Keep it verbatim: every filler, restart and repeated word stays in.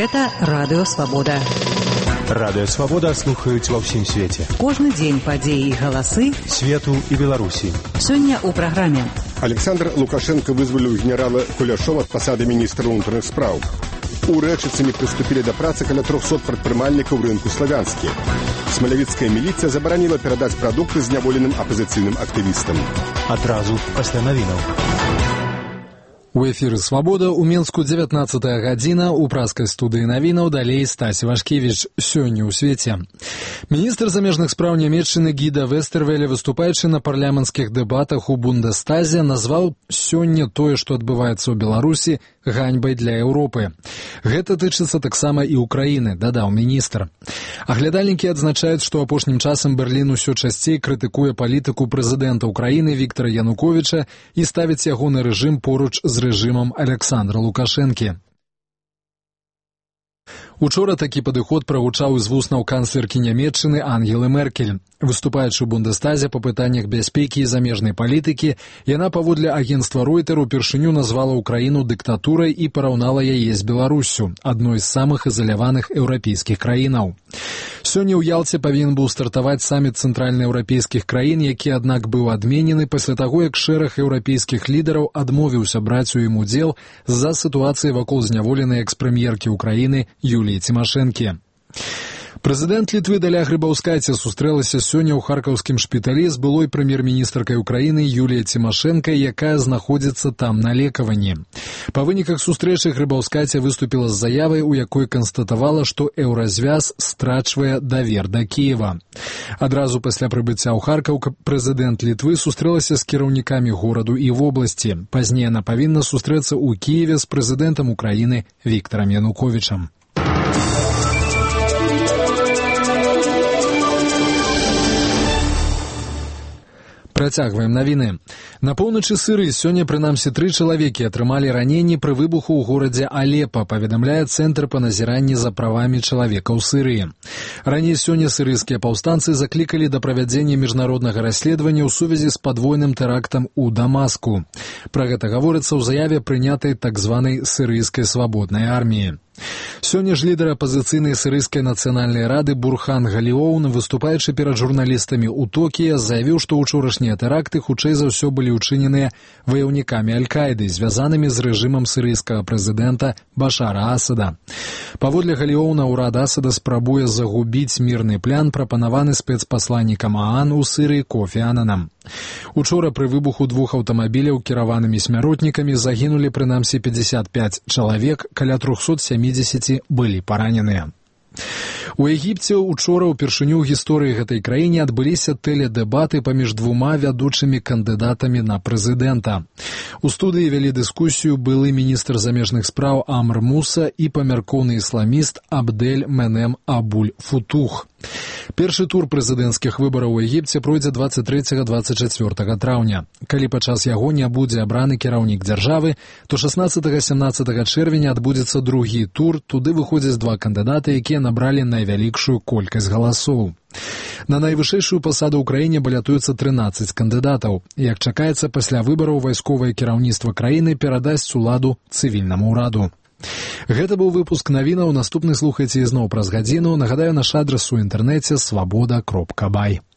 Гэта Радыё Свабода. Радыё Свабода слухаюць ва ўсім свеце. Кожны дзень падзеі і галасы свету і Беларусі. Сёння ў праграме. Александр Лукашенко вызваліў генерала Куляшова ад пасады міністра ўнутраных спраў. У Рэчыцамі прыступілі да працы каля трохсот прадпрымальнікаў рынку Славянскі. Смалявіцкая міліцыя забараніла перадаць прадукты зняволеным апазіцыйным актывістам. Адразу пасля навінаў. У эфіры «Свабода» у Мінску дзевятнаццатая гадзіна, у праскай студыі навінаў далей Стась Вашкевіч. Сёння ў свеце. Міністр замежных спраў Нямецчыны Гіда Вестэрвеле, выступаючы на парламенцкіх дэбатах у Бундестазе, назваў сёння тое, што адбываецца ў Беларусі, ганьбай для Еўропы. Гэта тычыцца таксама і ўкраіны, дадаў міністр. Аглядальнікі адзначаюць, што апошнім часам Берлін усё часцей крытыкуе палітыку прэзідэнта Украіны Віктара Януковіча і ставіць ягоны рэжым поруч з рэжымам Александра Лукашэнкі. Учора такі падыход прагучаў з вуснаў канцлеркі Нямецчыны Ангелы Меркель. Выступаючы ў Бундестазе па пытаннях бяспекі і замежнай палітыкі, яна паводле агенцтва Ройтер упершыню назвала Украіну дыктатурай і параўнала яе з Беларуссю, адной з самых ізаляваных еўрапейскіх краінаў. Сёння ў Ялце павінен быў стартаваць саміт цэнтральнаеўрапейскіх краін, які, аднак, быў адменены пасля таго, як шэраг еўрапейскіх лідараў адмовіўся браць у ім удзел з-за сітуацыі вакол зняволенай экс-прэм'еркі Украіны Юліі Цімашэнкі. Прэзідэнт Літвы Даля Грыбаўскайце сустрэлася сёння ў харкаўскім шпіталі з былой прэм'ер-міністркай Украіны Юліяй Цімашэнкай, якая знаходзіцца там на лекаванні. Па выніках сустрэчы Грыбаўскайце выступіла з заявай, у якой канстатавала, што еўразвяз страчвае давер да Кіева. Адразу пасля прыбыцця ў Харкаў прэзідэнт Літвы сустрэлася з кіраўнікамі гораду і вобласці. Пазней яна павінна сустрэцца ў Кіеве з прэзідэнтам Украіны Віктарам Януковічам. Працягваем навіны. На поўначы Сірыі сёння прынамсі тры чалавекі атрымалі раненні пры выбуху ў горадзе Алепа, паведамляе Цэнтр па назіранні за правамі чалавека ў Сірыі. Раней сёння сірыйскія паўстанцы заклікалі да правядзення міжнароднага расследавання ў сувязі з падвойным тэрактам у Дамаску. Пра гэта гаворыцца ў заяве, прынятай так званай сірыйскай свабоднай арміі. Сёння ж лідар апазіцыйнай сірыйскай нацыянальнай рады Бурхан Галіоун, выступаючы перад журналістамі ў Токіа, заявіў, што ўчорашнія тэракты хутчэй за ўсё былі ўчыненыя ваяўнікамі Аль-Каіды, звязанымі з рэжымам сірыйскага прэзідэнта Башара Асада. Паводле Галіоуна, ўрад Асада спрабуе загубіць мірны план, прапанаваны спецпасланнікам ААН у Сірыі Кофі Ананам. Учора пры выбуху двух аўтамабіляў кіраванымі смяротнікамі загінулі прынамсі пятьдесят пять чалавек, каля трохсот сямідзесят былі параненыя. У Егіпце учора ўпершыню ў гісторыі гэтай краіны адбыліся тэледэбаты паміж двума вядучымі кандыдатамі на прэзідэнта. У студыі вялі дыскусію былы міністр замежных спраў Амр Муса і памяркоўны ісламіст Абдель Менем Абуль Футух. Першы тур прэзідэнцкіх выбараў у Егіпце пройдзе дваццаць трэцяга - дваццаць чацвёртага траўня. Калі падчас яго не будзе абраны кіраўнік дзяржавы, то шаснаццатага - сямнаццатага чэрвеня адбудзецца другі тур, туды выходзяць два кандыдаты, якія набралі найвялікшую колькасць галасоў. На найвышэйшую пасаду ў краіне балятуецца трынаццаць кандыдатаў. Як чакаецца, пасля выбараў вайсковае кіраўніцтва краіны перадасць уладу цывільнаму ўраду. Гэта быў выпуск навінаў, наступны слухайце ізноў праз гадзіну. Нагадаю, наш адрас у інтэрнэце свабода кропка бай.